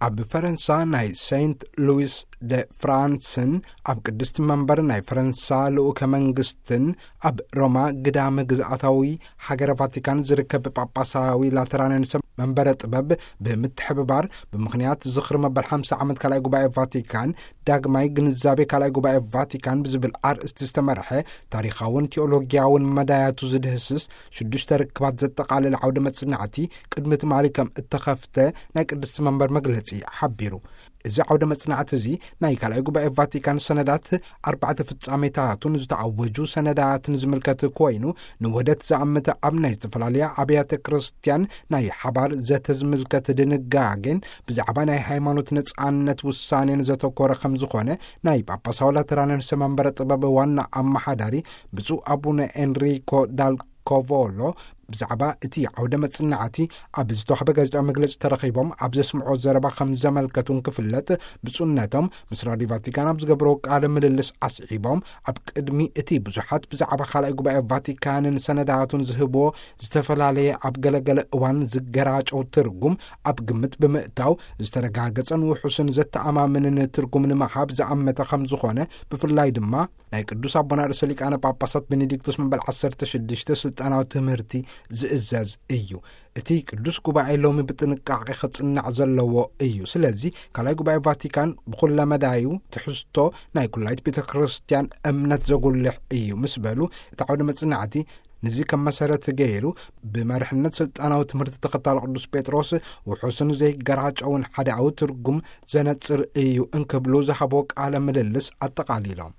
ኣብ ፈረንሳ ናይ ሴንት ሉዊስ ደ ፍራንስን ኣብ ቅድስቲ መንበር ናይ ፈረንሳ ልኡከ መንግስትን ኣብ ሮማ ግዳመ ግዝኣታዊ ሃገረ ቫቲካን ዝርከብ ጳጳሳዊ ላተራንያን ሰብ መንበረ ጥበብ ብምትሕብባር፣ ብምኽንያት ዝኽሪ መበል ሓምሳ ዓመት ካልኣይ ጉባኤ ቫቲካን፣ ዳግማይ ግንዛቤ ካልኣይ ጉባኤ ቫቲካን ብዝብል ኣርእስቲ ዝተመርሐ ታሪኻውን ቴዎሎጊያውን መዳያቱ ዝድህስስ ሽዱሽተ ርክባት ዘጠቓለለ ዓውደ መጽናዕቲ ቅድሚ ትማሊ ከም እተኸፍተ ናይ ቅድስቲ መንበር መግለጺ ሓቢሩ። እዚ ዓውደ መጽናዕቲ እዚ ናይ ካልኣይ ጉባኤ ቫቲካን ሰነዳት ኣርባዕተ ፍጻሜታቱን ዝተኣወጁ ሰነዳትን ዝምልከት ኮይኑ፣ ንውህደት ዝኣምተ ኣብ ናይ ዝተፈላለያ ኣብያተ ክርስቲያን ናይ ሓባር ዘተ ዝምልከት ድንጋጌን ብዛዕባ ናይ ሃይማኖት ነጻነት ውሳኔን ዘተኮረ ከም ዝኾነ ናይ ጳጳሳዊ ላተራንን ሰመንበረ ጥበብ ዋና ኣመሓዳሪ ብፁዕ ኣቡነ ኤንሪኮ ዳል ኮቮሎ ብዛዕባ እቲ ዓውደ መጽናዕቲ ኣብ ዝተዋህበ ጋዜጣዊ መግለጺ ተረኺቦም ኣብ ዘስምዖ ዘረባ ከም ዘመልከቱን ክፍለጥ፣ ብፁዕነቶም ምስ ራድዮ ቫቲካን ኣብ ዝገብረዎ ቃለ ምልልስ ኣስዒቦም፣ ኣብ ቅድሚ እቲ ብዙሓት ብዛዕባ ካልኣይ ጉባኤ ቫቲካንን ሰነዳቱን ዝህብዎ ዝተፈላለየ ኣብ ገለገለ እዋን ዝገራጨው ትርጉም ኣብ ግምት ብምእታው፣ ዝተረጋገጸን ውሑስን ዘተኣማምንን ትርጉም ንምሃብ ዝኣመተ ከም ዝኾነ፣ ብፍላይ ድማ ናይ ቅዱስ ኣቦና ርእሰ ሊቃነ ጳጳሳት ቤኔዲክቶስ መበል ዓሰርተ ሽዱሽተ ስልጣናዊ ትምህርቲ ዝእዘዝ እዩ። እቲ ቅዱስ ጉባኤ ሎሚ ብጥንቃቄ ክጽናዕ ዘለዎ እዩ። ስለዚ ካልኣይ ጉባኤ ቫቲካን ብኹለ መዳዩ ትሕዝቶ ናይ ኩላይት ቤተ ክርስቲያን እምነት ዘጉልሕ እዩ ምስ በሉ፣ እቲ ዓውደ መጽናዕቲ ንዚ ከም መሰረት ገይሩ ብመርሕነት ስልጣናዊ ትምህርቲ ተኸታሊ ቅዱስ ጴጥሮስ ውሑስን ዘይገራጨውን ሓዳዊ ትርጉም ዘነጽር እዩ እንክብሉ ዝሃቦ ቃለ ምልልስ ኣጠቓሊሎም።